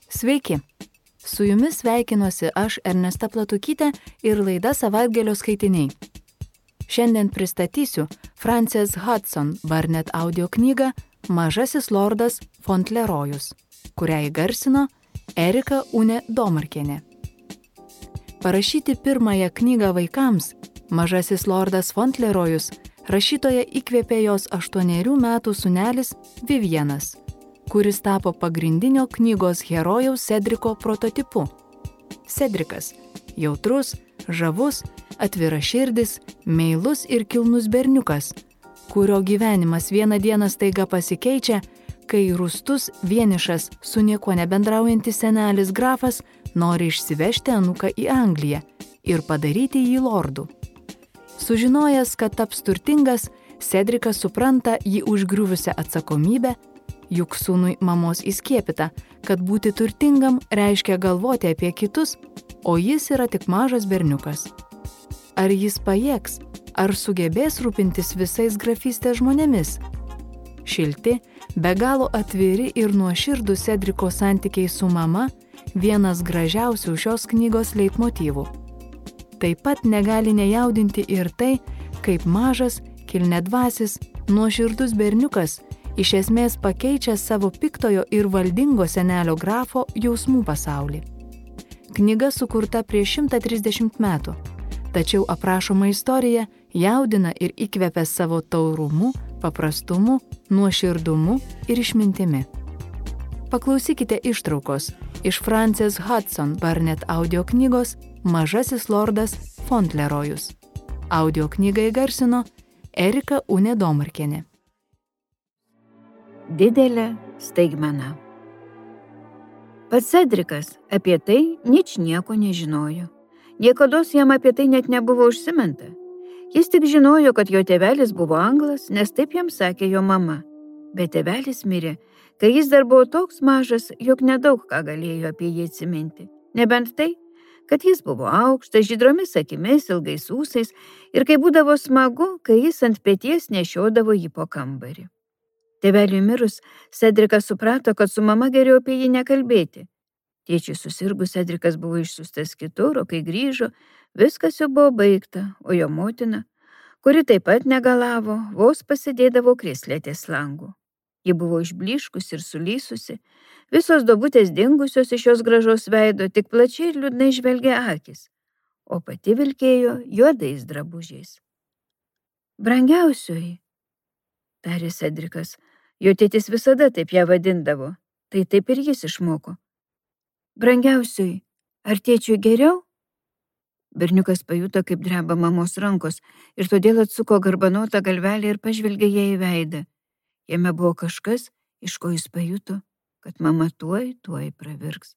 Sveiki! Su jumis sveikinuosi aš Ernesta Platukytė ir laida Savaitgalio skaitiniai. Šiandien pristatysiu Frances Hudson Burnett audio knygą Mažasis lordas Fauntlerojus, kurią įgarsino Erika Unė Domarkienė. Parašyti pirmąją knygą vaikams Mažasis lordas Fauntlerojus rašytoja įkvėpė jos 8 metų sūnelis Vivienas, kuris tapo pagrindinio knygos herojaus Cedriko prototipu. Cedrikas – jautrus, žavus, atviraširdis, meilus ir kilnus berniukas, kurio gyvenimas vieną dieną staiga pasikeičia, kai rūstus, vienišas, su niekuo nebendraujantis senelis grafas nori išsivežti anūką į Angliją ir padaryti jį lordu. Sužinojęs, kad taps turtingas, Cedrikas supranta jį užgriuvusią atsakomybę, juk sūnui mamos įskiepyta, kad būti turtingam reiškia galvoti apie kitus, o jis yra tik mažas berniukas. Ar jis pajėgs, ar sugebės rūpintis visais grafystės žmonėmis? Šilti, be galo atviri ir nuoširdūs Cedriko santykiai su mama vienas gražiausių šios knygos leitmotyvų. Taip pat negali nejaudinti ir tai, kaip mažas, kilniadvasis, nuoširdus berniukas iš esmės pakeičia savo piktojo ir valdingo senelio grafo jausmų pasaulį. Knyga sukurta prieš 130 metų, tačiau aprašoma istorija jaudina ir įkvepia savo taurumu, paprastumu, nuoširdumu ir išmintimi. Paklausykite ištraukos iš Frances Hudson Burnett audio knygos Mažasis lordas Fauntlerojus. Audio knygą įgarsino Erika Unė Domarkienė. Didelė staigmena. Pats Cedrikas apie tai ničnieko nežinojo. Niekados jam apie tai net nebuvo užsiminta. Jis tik žinojo, kad jo tėvelis buvo anglas, nes taip jam sakė jo mama. Bet tėvelis mirė, kai jis dar buvo toks mažas, jog nedaug ką galėjo apie jį atsiminti. Nebent tai, kad jis buvo aukštas, žydromis akimis, ilgais ūsais ir kai būdavo smagu, kai jis ant peties nešiodavo jį po kambarį. Tėveliui mirus, Cedrikas suprato, kad su mama geriau apie jį nekalbėti. Tėčiui susirgus, Cedrikas buvo išsiųstas kitur, o kai grįžo, viskas jau buvo baigta, o jo motina, kuri taip pat negalavo, vos pasėdėdavo krėsle ties langu. Ji buvo išblyškusi ir sulysusi, visos duobutės dingusios iš jos gražaus veido, tik plačiai ir liūdnai žvelgė akis, o pati vilkėjo juodais drabužiais. Brangiausioji, tarė Cedrikas, jo tėtis visada taip ją vadindavo, tai taip ir jis išmoko. Brangiausioji, ar tėčiui geriau? Berniukas pajuto, kaip dreba mamos rankos ir todėl atsuko garbanotą galvelę ir pažvelgė ją į veidą. Jame buvo kažkas, iš ko jis pajuto, kad mama tuoj pravirks.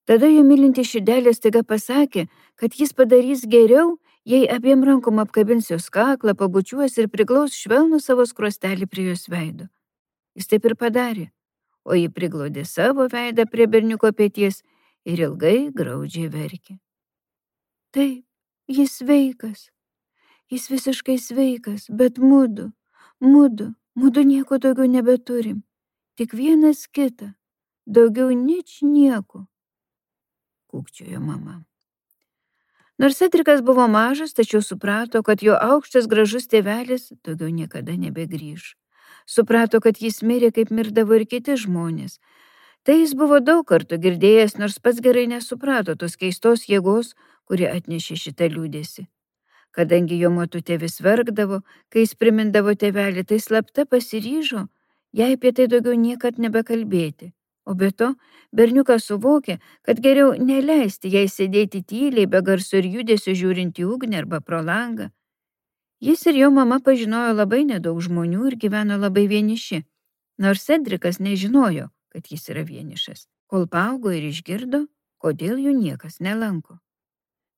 Tada jo mylinti širdelė staiga pasakė, kad jis padarys geriau, jei abiem rankom apkabins jos kaklą, pabučiuos ir priglaus švelnų savo skruostelį prie jos veido. Jis taip ir padarė, o ji priglaudė savo veidą prie berniuko peties ir ilgai graudžiai verkė. Taip, jis sveikas, jis visiškai sveikas, bet mudu nieko daugiau nebeturim, tik vienas kitą, daugiau nieko, kūkčiojo mama. Nors Cedrikas buvo mažas, tačiau suprato, kad jo aukštas gražus tėvelis daugiau niekada nebegrįš. Suprato, kad jis mirė, kaip mirdavo ir kiti žmonės. Tai jis buvo daug kartų girdėjęs, nors pats gerai nesuprato tos keistos jėgos, kuri atnešė šitą liūdėsį. Kadangi jo motutė vis verkdavo, kai jis primindavo tėvelį, tai slapta pasiryžo, jai apie tai daugiau niekad nebekalbėti. O be to, berniukas suvokė, kad geriau neleisti jai sėdėti tyliai, be garso ir judesio žiūrint į ugnį arba pro langą. Jis ir jo mama pažinojo labai nedaug žmonių ir gyveno labai vieniši, nors Cedrikas nežinojo, kad jis yra vienišas, kol paaugo ir išgirdo, kodėl jų niekas nelanko.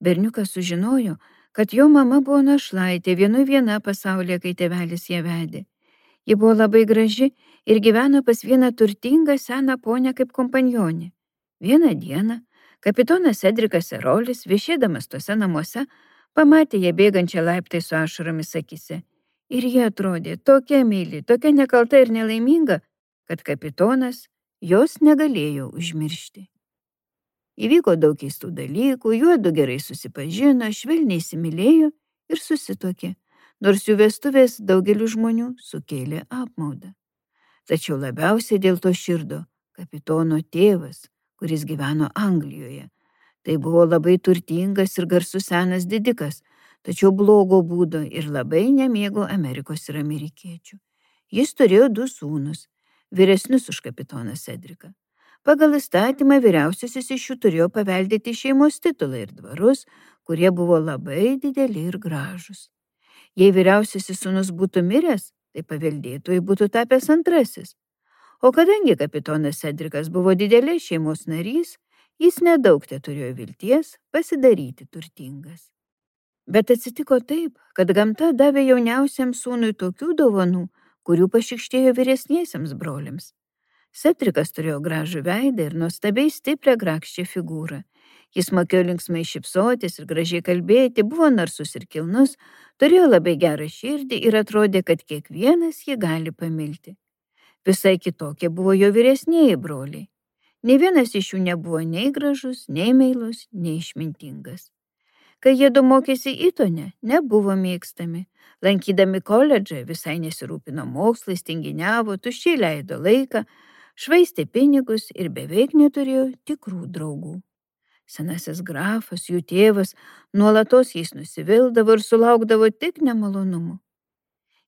Berniukas sužinojo, kad jo mama buvo našlaitė viena pasaulyje, kai tėvelis ją vedė. Ji buvo labai graži ir gyveno pas vieną turtingą seną ponę kaip kompanionė. Vieną dieną kapitonas Cedrikas Erolis, viešėdamas tuose namuose, pamatė ją bėgančią laiptai su ašaromis akise. Ir ji atrodė tokia meili, tokia nekalta ir nelaiminga, kad kapitonas jos negalėjo užmiršti. Įvyko daug keistų dalykų, juodu gerai susipažino, švelniai įsimylėjo ir susituokė, nors jų vestuvės daugeliu žmonių sukėlė apmaudą. Tačiau labiausiai dėl to širdo kapitono tėvas, kuris gyveno Anglijoje. Tai buvo labai turtingas ir garsus senas didikas, tačiau blogo būdo ir labai nemėgo Amerikos ir amerikiečių. Jis turėjo 2 sūnus, vyresnius už kapitoną Sedriką. Pagal įstatymą vyriausiasis iš jų turėjo paveldėti šeimos titulą ir dvarus, kurie buvo labai dideli ir gražūs. Jei vyriausiasis sūnus būtų miręs, tai paveldėtojai būtų tapęs antrasis. O kadangi kapitonas Sedrikas buvo didelės šeimos narys, jis nedaug turėjo vilties pasidaryti turtingas. Bet atsitiko taip, kad gamta davė jauniausiam sūnui tokių dovanų, kurių pašikštėjo vyresniesiems broliams. Sedrikas turėjo gražų veidą ir nuostabiai stiprią grakščią figūrą. Jis mokėjo linksmai šypsotis ir gražiai kalbėti, buvo narsus ir kilnus, turėjo labai gerą širdį ir atrodė, kad kiekvienas jį gali pamilti. Visai kitokie buvo jo vyresnieji broliai. Nė vienas iš jų nebuvo nei gražus, nei meilus, nei išmintingas. Kai jie du mokėsi Itone, nebuvo mėgstami. Lankydami koledžą visai nesirūpino mokslais, tinginiavo, tuščiai leido laiką, švaistė pinigus ir beveik neturėjo tikrų draugų. Senasis grafas, jų tėvas, nuolatos jais nusivildavo ir sulaukdavo tik nemalonumų.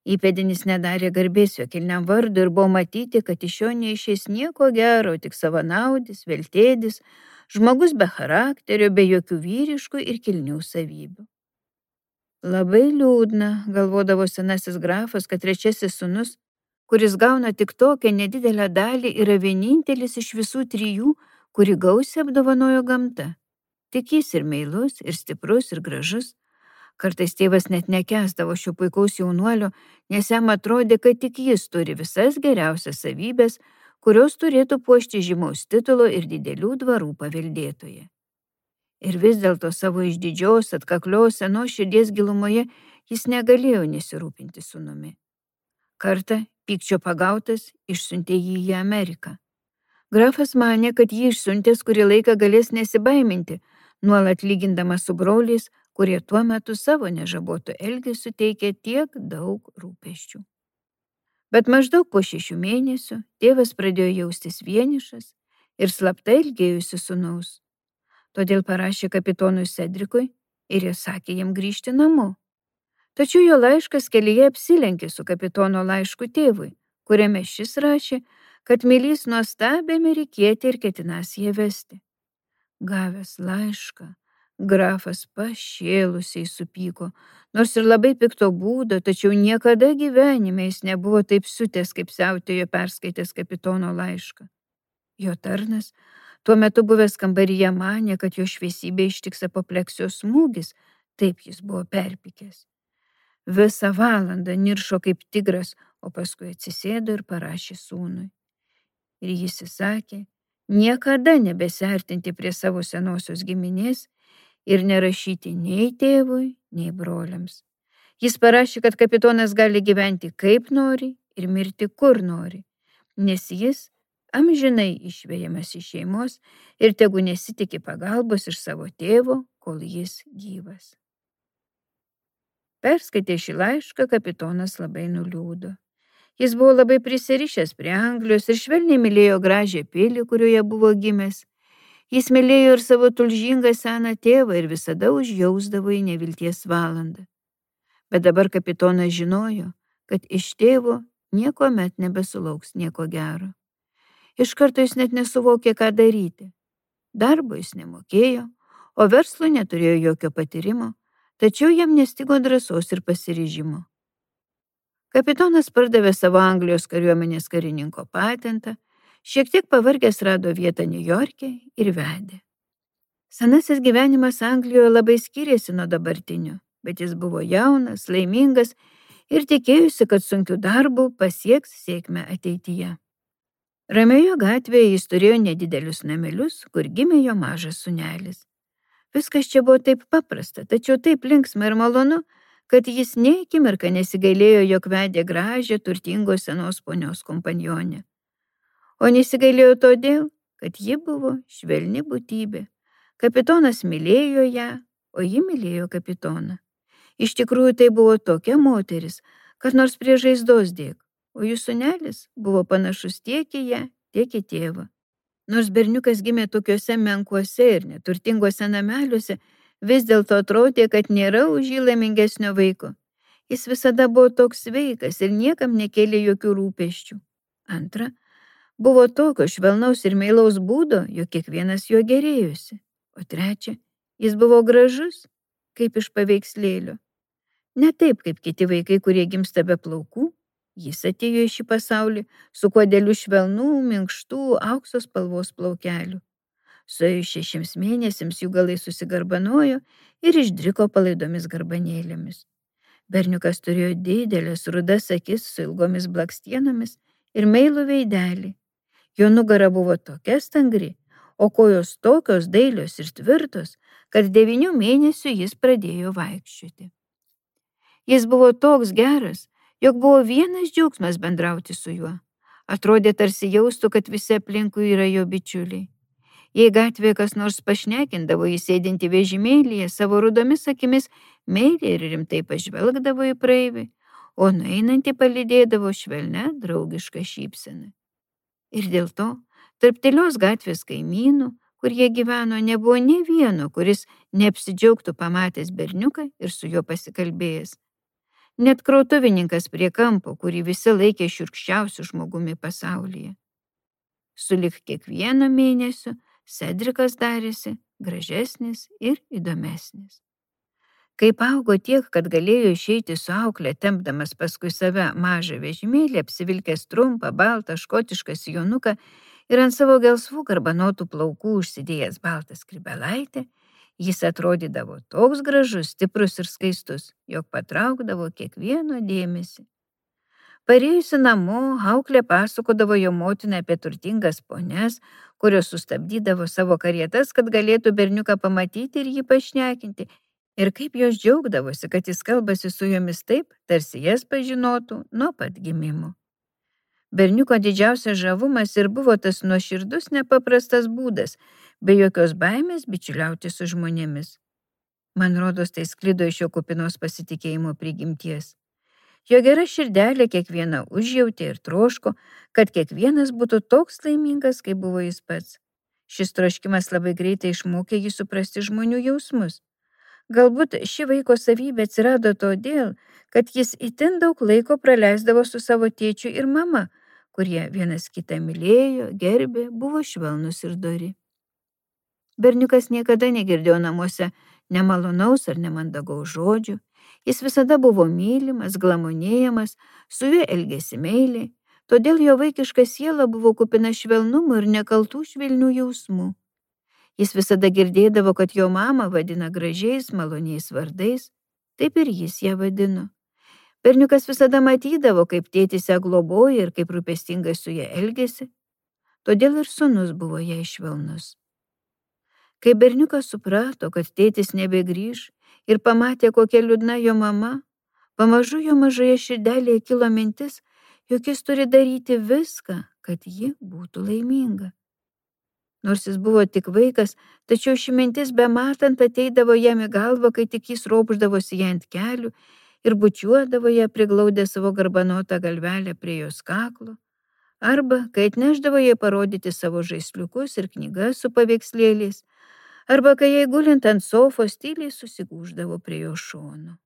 Įpėdinis nedarė garbės jo kilniam vardui ir buvo matyti, kad iš jo neišeis nieko gero, tik savanaudis, veltėdis, žmogus be charakterio, be jokių vyriškų ir kilnių savybių. Labai liūdna, galvodavo senasis grafas, kad trečiasis sūnus, kuris gauna tik tokią nedidelę dalį, yra vienintelis iš visų 3, kurį gausiai apdovanojo gamta. Tik jis ir meilus, ir stiprus, ir gražus. Kartais tėvas net nekęsdavo šio puikaus jaunuolio, nes jam atrodė, kad tik jis turi visas geriausias savybės, kurios turėtų puošti žymaus titulo ir didelių dvarų paveldėtoje. Ir vis dėlto savo išdidžios, atkaklios, senos širdies gilumoje jis negalėjo nesirūpinti sūnumi. Kartą, pykčio pagautas, išsiuntė jį į Ameriką. Grafas manė, kad jį išsiuntęs kurį laiką galės nesibaiminti, nuolat lygindamas su broliais, kurie tuo metu savo nežabotų elgesiu teikė tiek daug rūpesčių. Bet maždaug po 6 mėnesių tėvas pradėjo jaustis vienišas ir slapta ilgėjusi sūnaus. Todėl parašė kapitonui Sedrikui ir jis sakė jam grįžti namo. Tačiau jo laiškas kelyje apsilenkė su kapitono laišku tėvui, kuriame šis rašė, kad mylys nuostabią amerikietę ir ketinas ją vesti. Gavęs laišką, grafas pašėlusiai supyko, nors ir labai pikto būdo, tačiau niekada gyvenime jis nebuvo taip siutęs, kaip siautėjo perskaitęs kapitono laišką. Jo tarnas, tuo metu buvęs kambaryje, manė, kad jo šviesybė ištiks apopleksijos smūgis, taip jis buvo perpykęs. Visą valandą niršo kaip tigras, o paskui atsisėdo ir parašė sūnui. Ir jis įsakė, niekada nebesiartinti prie savo senosios giminės ir nerašyti nei tėvui, nei broliams. Jis parašė, kad kapitonas gali gyventi kaip nori ir mirti kur nori, nes jis amžinai išvejamas iš šeimos ir tegu nesitiki pagalbos iš savo tėvo, kol jis gyvas. Perskaitė šį laišką, kapitonas labai nuliūdo. Jis buvo labai prisirišęs prie Anglijos ir švelniai mylėjo gražią pilį, kurioje buvo gimęs. Jis mylėjo ir savo tulžingą seną tėvą ir visada užjausdavo į nevilties valandą. Bet dabar kapitonas žinojo, kad iš tėvo niekuomet nebesulauks nieko gero. Iš karto jis net nesuvokė, ką daryti. Darbo jis nemokėjo, o verslo neturėjo jokio patyrimo, tačiau jam nestigo drąsos ir pasiryžimo. Kapitonas pardavė savo Anglijos kariuomenės karininko patentą, šiek tiek pavargęs rado vietą Niujorke ir vedė. Senasis gyvenimas Anglijoje labai skyrėsi nuo dabartinio, bet jis buvo jaunas, laimingas ir tikėjusi, kad sunkiu darbu pasieks sėkmę ateityje. Ramioje gatvėje jis turėjo nedidelius namelius, kur gimė jo mažas sūnelis. Viskas čia buvo taip paprasta, tačiau taip linksma ir malonu, kad jis nė akimirką nesigailėjo, jog vedė gražią, turtingos senos ponios kompanionę. O nesigailėjo todėl, kad ji buvo švelni būtybė. Kapitonas mylėjo ją, o ji mylėjo kapitoną. Iš tikrųjų tai buvo tokia moteris, kad nors prie žaizdos dėk, o jų sūnelis buvo panašus tiek į ją, tiek į tėvą. Nors berniukas gimė tokiuose menkuose ir neturtinguose nameliuose, vis dėlto atrodė, kad nėra už jį laimingesnio vaiko. Jis visada buvo toks sveikas ir niekam nekėlė jokių rūpesčių. Antra, buvo tokio švelnaus ir meilaus būdo, jog kiekvienas juo gerėjosi. O trečia, jis buvo gražus, kaip iš paveikslėlio. Ne taip, kaip kiti vaikai, kurie gimsta be plaukų. Jis atėjo į šį pasaulį su kuodeliu švelnų, minkštų, aukso spalvos plaukelių. Suėjus 6 mėnesiams jų galai susigarbanojo ir išdriko palaidomis garbanėlėmis. Berniukas turėjo didelės rudas akis su ilgomis blakstienomis ir meilų veidelį. Jo nugara buvo tokia stangri, o kojos tokios dailios ir tvirtos, kad 9 mėnesių jis pradėjo vaikščioti. Jis buvo toks geras, jog buvo vienas džiaugsmas bendrauti su juo. Atrodė tarsi jaustų, kad visi aplinkui yra jo bičiuliai. Jei gatvėje kas nors pašnekindavo jį sėdinti vežimėlyje, savo rudomis akimis meiliai ir rimtai pažvelgdavo į praeivį, o nueinantį palydėdavo švelnia draugišką šypseną. Ir dėl to, tarp tylios gatvės kaimynų, kur jie gyveno, nebuvo nė vieno, kuris neapsidžiaugtų pamatęs berniuką ir su juo pasikalbėjęs. Net krautuvininkas prie kampo, kurį visi laikė šiurkščiausiu žmogumi pasaulyje. Sulig kiekvieno mėnesio Sedrikas darėsi gražesnis ir įdomesnis. Kaip augo tiek, kad galėjo išeiti su aukle, tempdamas paskui save mažą vežimėlį, apsivilkęs trumpą, baltą, škotišką sijonuką ir ant savo gelsvų garbanotų plaukų užsidėjęs baltą skrybelaitę, jis atrodydavo toks gražus, stiprus ir skaistus, jog patraukdavo kiekvieno dėmesį. Parėjusi namo, auklė pasakodavo jo motiną apie turtingas ponias, kurios sustabdydavo savo karietas, kad galėtų berniuką pamatyti ir jį pašnekinti, ir kaip jos džiaugdavosi, kad jis kalbasi su jomis taip, tarsi jas pažinotų nuo pat gimimo. Berniuko didžiausias žavumas ir buvo tas nuoširdus nepaprastas būdas, be jokios baimės bičiuliauti su žmonėmis. Man rodos, tai sklido iš jo kupinos pasitikėjimo prigimties. Jo gera širdelė kiekvieną užjautė ir troško, kad kiekvienas būtų toks laimingas, kaip buvo jis pats. Šis troškimas labai greitai išmokė jį suprasti žmonių jausmus. Galbūt ši vaiko savybė atsirado todėl, kad jis itin daug laiko praleisdavo su savo tėčiu ir mama, kurie vienas kitą mylėjo, gerbė, buvo švelnus ir dori. Berniukas niekada negirdėjo namuose nemalonaus ar nemandagaus žodžių. Jis visada buvo mylimas, glamonėjamas, su juo elgėsi meiliai, todėl jo vaikiška siela buvo kupina švelnumo ir nekaltų švelnių jausmų. Jis visada girdėdavo, kad jo mama vadina gražiais, maloniais vardais, taip ir jis ją vadino. Berniukas visada matydavo, kaip tėtis ją globoja ir kaip rūpestingai su ją elgėsi, todėl ir sūnus buvo jai švelnus. Kai berniukas suprato, kad tėtis nebegrįš ir pamatė, kokia liūdna jo mama, pamažu jo mažoje širdelėje kilo mintis, jog jis turi daryti viską, kad ji būtų laiminga. Nors jis buvo tik vaikas, tačiau ši mintis bematant ateidavo jam į galvą, kai tik jis ropždavosi ją ant kelių ir bučiuodavo ją priglaudę savo garbanotą galvelę prie jos kaklo, arba kai atnešdavo jai parodyti savo žaisliukus ir knygas su paveikslėliais, arba kai jai gulint ant sofos tyliai susigūždavo prie jo šono.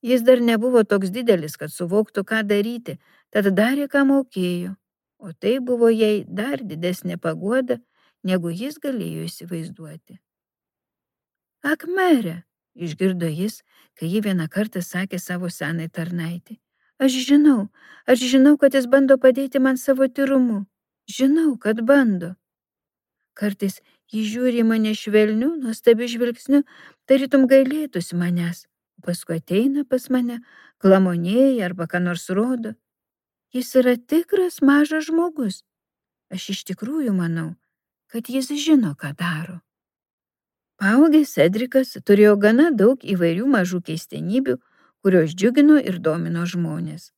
Jis dar nebuvo toks didelis, kad suvoktų, ką daryti, tad darė, ką mokėjo, o tai buvo jai dar didesnė paguoda, negu jis galėjo įsivaizduoti. Ak, mere, išgirdo jis, kai ji vieną kartą sakė savo senai tarnaitį. Aš žinau, kad jis bando padėti man savo tyrumu. Žinau, kad bando. Kartais jis žiūri į mane švelniu, nuostabiu žvilgsniu, tarytum gailėtųsi manęs, o paskui ateina pas mane, glamonėja arba ką nors rodo. Jis yra tikras mažas žmogus. Aš iš tikrųjų manau, kad jis žino, ką daro. Paaugęs Sedrikas turėjo gana daug įvairių mažų keistenybių, kurios džiugino ir domino žmonės.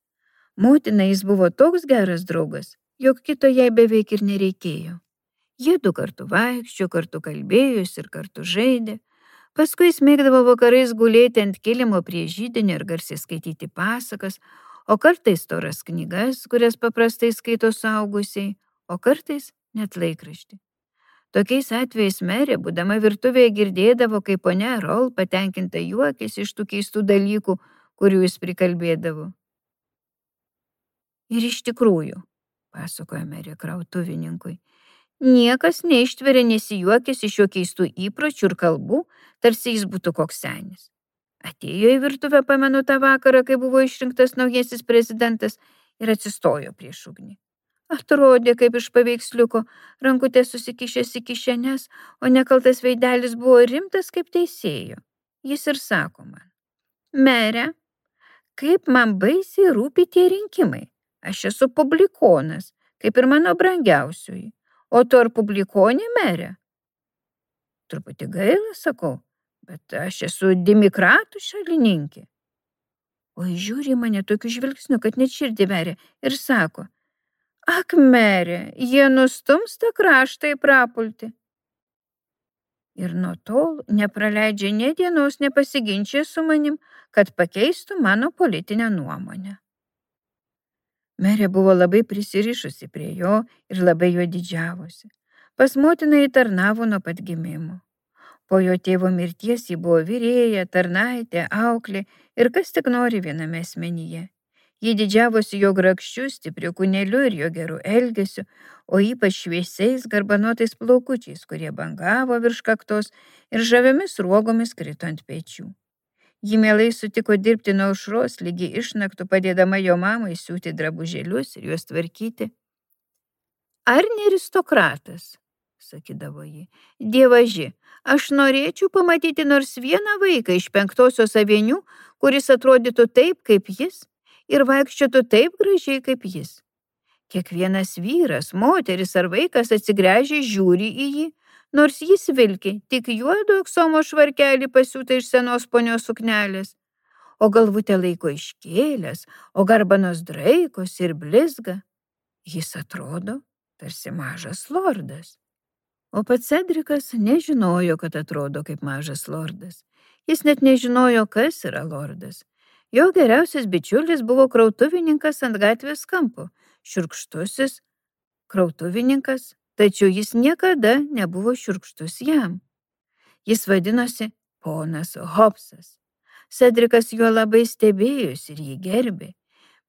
Motina jis buvo toks geras draugas, jog kito jai beveik ir nereikėjo. Jie du kartu vaikščio, kartu kalbėjosi ir kartu žaidė. Paskui jis mėgdavo vakarais gulėti ant kilimo prie židinio ir garsiai skaityti pasakas, o kartais storas knygas, kurias paprastai skaito suaugusiai, o kartais net laikraštį. Tokiais atvejais merė, būdama virtuvėje, girdėdavo, kaip ponia Rol patenkinta juokėsi iš tų keistų dalykų, kurių jis prikalbėdavo. Ir iš tikrųjų, pasakojo merė krautuvininkui, niekas neištveria nesijuokęs iš jo keistų įpročių ir kalbų, tarsi jis būtų koks senis. Atėjo į virtuvę, pamenu, tą vakarą, kai buvo išrinktas naujasis prezidentas, ir atsistojo prieš ugnį. Atrodė, kaip iš paveiksliuko, rankutės susikišęs į kišenes, o nekaltas veidelis buvo rimtas kaip teisėjo. Jis ir sako man: mere, kaip man baisiai rūpi tie rinkimai. Aš esu publikonas, kaip ir mano brangiausioji. O tu ar publikonė, mere? Truputį gaila, sakau, bet aš esu demokratų šalininkė. O jis žiūri į mane tokiu žvilgsniu, kad net širdį veria, ir sako: ak, mere, jie nustums tą kraštą į prapultį. Ir nuo tol nepraleidžia nė dienos nepasiginčia su manim, kad pakeistų mano politinę nuomonę. Merė buvo labai prisirišusi prie jo ir labai jo didžiavosi. Pas motiną jį tarnavo nuo pat gimimo. Po jo tėvo mirties ji buvo virėja, tarnaitė, auklė ir kas tik nori viename asmenyje. Ji didžiavosi jo grakščiu, stipriu kūneliu ir jo geru elgesiu, o ypač šviesiais garbanotais plaukučiais, kurie bangavo virš kaktos ir žaviomis ruogomis krito ant pečių. Ji mielai sutiko dirbti nuo aušros lygi išnaktų, padėdama jo mamai siūti drabužėlius ir juos tvarkyti. Ar ne aristokratas, sakydavo ji, dievaži, aš norėčiau pamatyti nors vieną vaiką iš 5-osios avenių, kuris atrodytų taip, kaip jis, ir vaikščiotų taip gražiai, kaip jis. Kiekvienas vyras, moteris ar vaikas atsigręžia žiūri į jį, nors jis vilki tik juodo aksomo švarkelį pasiūtą iš senos ponios suknelės, o galvutę laiko iškėlęs, o garbanos draikos ir blizga. Jis atrodo tarsi mažas lordas. O pats Cedrikas nežinojo, kad atrodo kaip mažas lordas. Jis net nežinojo, kas yra lordas. Jo geriausias bičiulis buvo krautuvininkas ant gatvės kampo, šiurkštusis krautuvininkas, tačiau jis niekada nebuvo šiurkštus jam. Jis vadinosi ponas Hobsas. Cedrikas juo labai stebėjosi ir jį gerbė.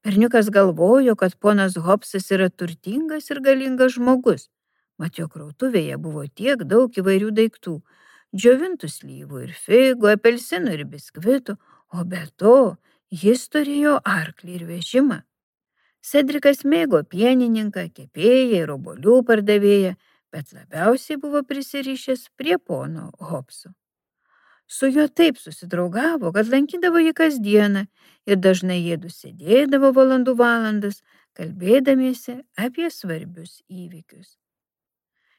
Berniukas galvojo, kad ponas Hobsas yra turtingas ir galingas žmogus. Mat jo krautuvėje buvo tiek daug įvairių daiktų, džiovintų slyvų ir figų, apelsinų ir biskvitų, o be to jis turėjo arklį ir vežimą. Cedrikas mėgo pienininką, kepėją ir obuolių pardavėją, bet labiausiai buvo prisirišęs prie pono Hobso. Su juo taip susidraugavo, kad lankydavo jį kasdieną ir dažnai jiedu sėdėdavo valandų valandas, kalbėdamiesi apie svarbius įvykius.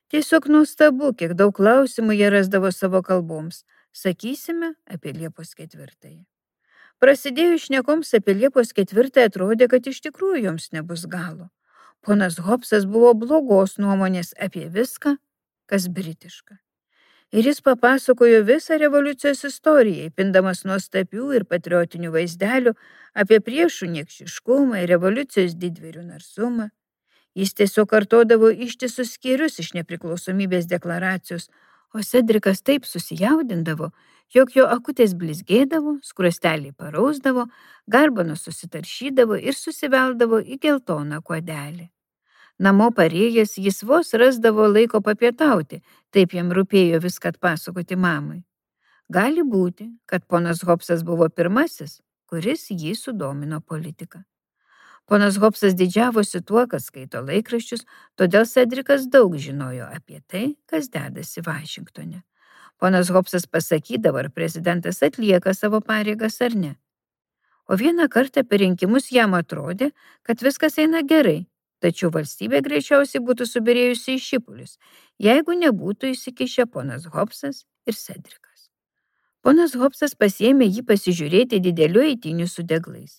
Tiesiog nuostabu, kiek daug klausimų jie rasdavo savo kalboms, sakysime, apie Liepos 4. Prasidėjus šnekoms apie Liepos 4 atrodė, kad iš tikrųjų joms nebus galo. Ponas Hobsas buvo blogos nuomonės apie viską, kas britiška. Ir jis papasakojo visą revoliucijos istoriją, įpindamas nuostabių ir patriotinių vaizdelių apie priešų niekšiškumą ir revoliucijos didvyrių narsumą. Jis tiesiog kartodavo ištisus skyrius iš nepriklausomybės deklaracijos, o Cedrikas taip susijaudindavo, jog jo akutės blizgėdavo, skruosteliai parausdavo, garbanos susitaršydavo ir susiveldavo į geltoną kuodelį. Namo parėjęs jis vos rasdavo laiko papietauti, taip jam rūpėjo viską atpasakoti mamai. Gali būti, kad ponas Hobsas buvo pirmasis, kuris jį sudomino politika. Ponas Hobsas didžiavosi tuo, kad skaito laikraščius, todėl Cedrikas daug žinojo apie tai, kas dedasi Vašingtone. Ponas Hobsas pasakydavo, ar prezidentas atlieka savo pareigas ar ne. O vieną kartą per rinkimus jam atrodė, kad viskas eina gerai, tačiau valstybė greičiausiai būtų subyrėjusi į šipulius, jeigu nebūtų įsikišę ponas Hobsas ir Cedrikas. Ponas Hobsas pasiėmė jį pasižiūrėti didelių eitynių su deglais.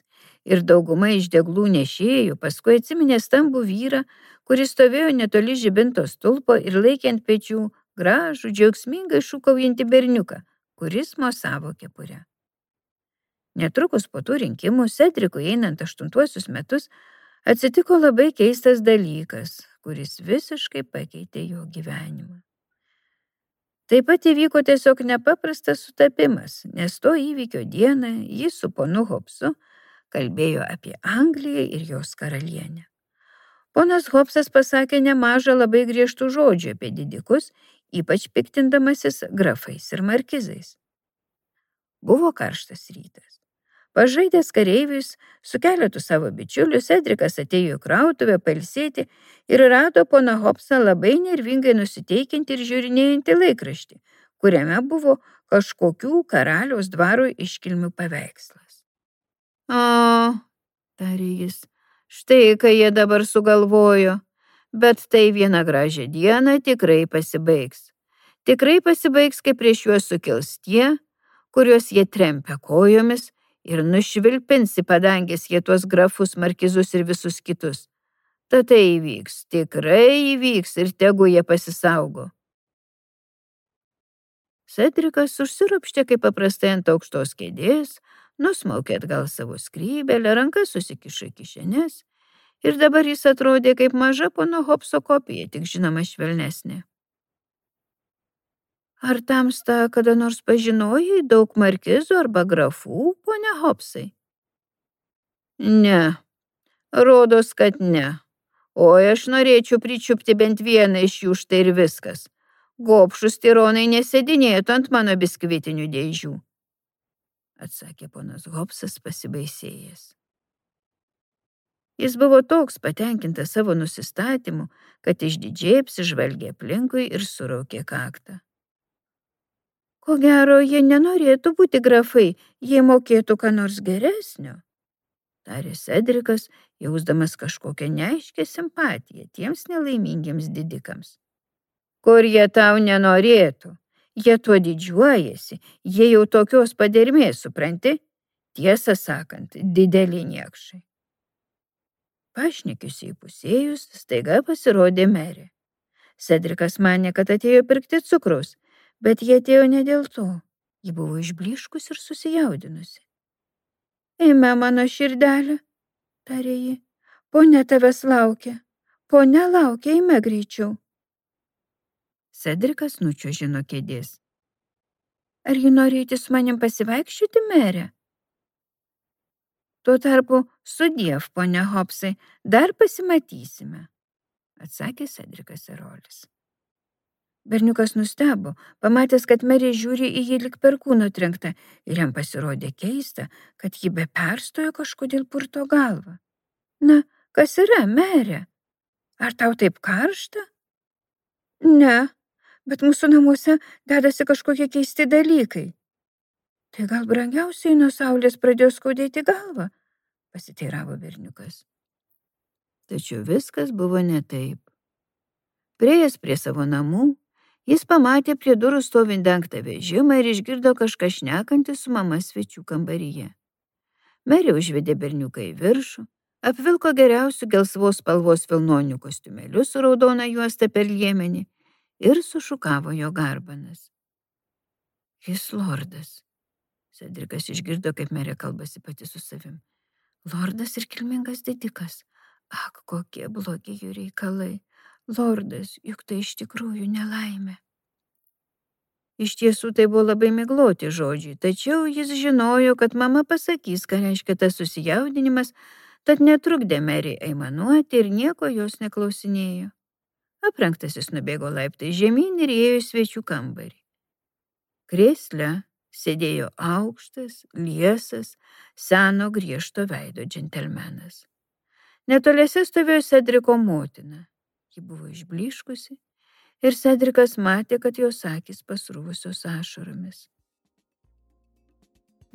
ir dauguma iš deglų nešėjų paskui atsiminė stambų vyrą, kuris stovėjo netoli žibinto stulpo ir laikė ant pečių gražų, džiaugsmingai šūkaujantį berniuką, kuris mosavo kepurę. Netrukus po tų rinkimų Sedrikui einant 8 metus atsitiko labai keistas dalykas, kuris visiškai pakeitė jo gyvenimą. Taip pat įvyko tiesiog nepaprastas sutapimas, nes to įvykio dieną jis su ponu Hobsu kalbėjo apie Angliją ir jos karalienę. Ponas Hobsas pasakė nemažą labai griežtų žodžių apie didikus, ypač piktindamasis grafais ir markizais. Buvo karštas rytas. Pažaidęs kareivius su keletu savo bičiulių, Sedrikas atėjo į krautuvę pailsėti ir rado poną Hobsą labai nervingai nusiteikiantį ir žiūrinėjantį laikraštį, kuriame buvo kažkokių karaliaus dvaro iškilmių paveikslas. O, tarė jis, štai ką jie dabar sugalvojo, bet tai vieną gražią dieną tikrai pasibaigs. Tikrai pasibaigs, kai prieš juos sukils tie, kuriuos jie trempia kojomis, ir nušvilpins į padangės jie tuos grafus, markizus ir visus kitus. Tad tai įvyks, tikrai įvyks ir tegu jie pasisaugo. Sedrikas užsiropštė kaip paprastai ant aukštos kėdės, nusmaukė atgal savo skrybelę, rankas susikišo į kišenes ir dabar jis atrodė kaip maža pono Hobso kopija, tik žinoma švelnesnė. Ar tamsta kada nors pažinojai daug markizų arba grafų, ponia Hobsai? Ne, rodos, kad ne. Oi, aš norėčiau pričiupti bent vieną iš jų, štai ir viskas. Gobšus tironai nesėdinėtų ant mano biskvitinių dėžių, atsakė ponas Hobsas pasibaisėjęs. Jis buvo toks patenkintas savo nusistatymu, kad išdidžiai apsižvalgė aplinkui ir suraukė kaktą. Ko gero, jie nenorėtų būti grafai, jie mokėtų ką nors geresnio, tarė Sedrikas, jausdamas kažkokią neaiškę simpatiją tiems nelaimingiems didikams. Kur jie tau nenorėtų, jie tuo didžiuojasi, jie jau tokios padermės, supranti, tiesą sakant, dideli niekšai. Pašnekius įpusėjus, staiga pasirodė merė. Sedrikas manė, kad atėjo pirkti cukraus, bet jie atėjo ne dėl to. Ji buvo išblyškus ir susijaudinusi. Eime, mano širdelė, tarė ji. Ponia tavęs laukia. Ponia laukia, eime greičiau. Sedrikas nučiuožė nuo kėdės. Ar ji norėtų su manim pasivaikščioti, mere? Tuo tarpu sudiev, ponia Hobsai, dar pasimatysime, atsakė Sedrikas Erolis. Berniukas nustebo, pamatęs, kad merė žiūri į jį lyg perkūno trenkta, ir jam pasirodė keista, kad ji be perstojo kažkodėl purto galvą. Na, kas yra, merė? Ar tau taip karšta? Ne, bet mūsų namuose dedasi kažkokie keisti dalykai. Tai gal brangiausiai nuo saulės pradėjo skaudėti galvą, pasiteiravo berniukas. Tačiau viskas buvo ne taip. Priėjęs prie savo namų, jis pamatė prie durų stovint dengtą vežimą ir išgirdo kažką šnekantį su mama svečių kambaryje. Merė užvedė berniuką į viršų, apvilko geriausių gelsvos spalvos vilnonių kostiumėlių su raudona juosta per liemenį ir sušukavo jo garbanas. Jis lordas. Sedrikas išgirdo, kaip merė kalbasi pati su savim. Lordas ir kilmingas didikas. Ak, kokie blogi jų reikalai. Lordas, juk tai iš tikrųjų nelaimė. Iš tiesų tai buvo labai migloti žodžiai, tačiau jis žinojo, kad mama pasakys, ką reiškia tas susijaudinimas, tad netrukdė merei aimanuoti ir nieko jos neklausinėjo. Aprengtasis nubėgo laiptais žemyn ir ėjo į svečių kambarį. Krėsle sėdėjo aukštas, liesas, seno griežto veido džentelmenas. Netoliese stovėjo Sedriko motina. Ji buvo išblyškusi ir Sedrikas matė, kad jos akys pasrūvusios ašaromis.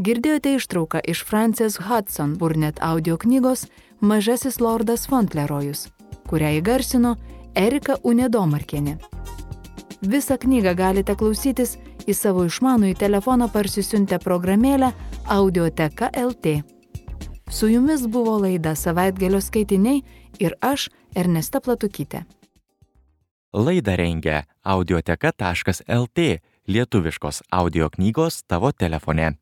Girdėjote ištrauką iš Frances Hudson Burnett audio knygos Mažasis lordas Fontlerojus, kurią įgarsino Erika Unedomarkienė. Visą knygą galite klausytis į savo išmanųjį telefoną parsisiuntę programėlę Audioteka LT. Su jumis buvo laida Savaitgalio skaitiniai ir aš, Ernesta Platukytė. Laidą rengia audioteka.lt, lietuviškos audio knygos tavo telefone.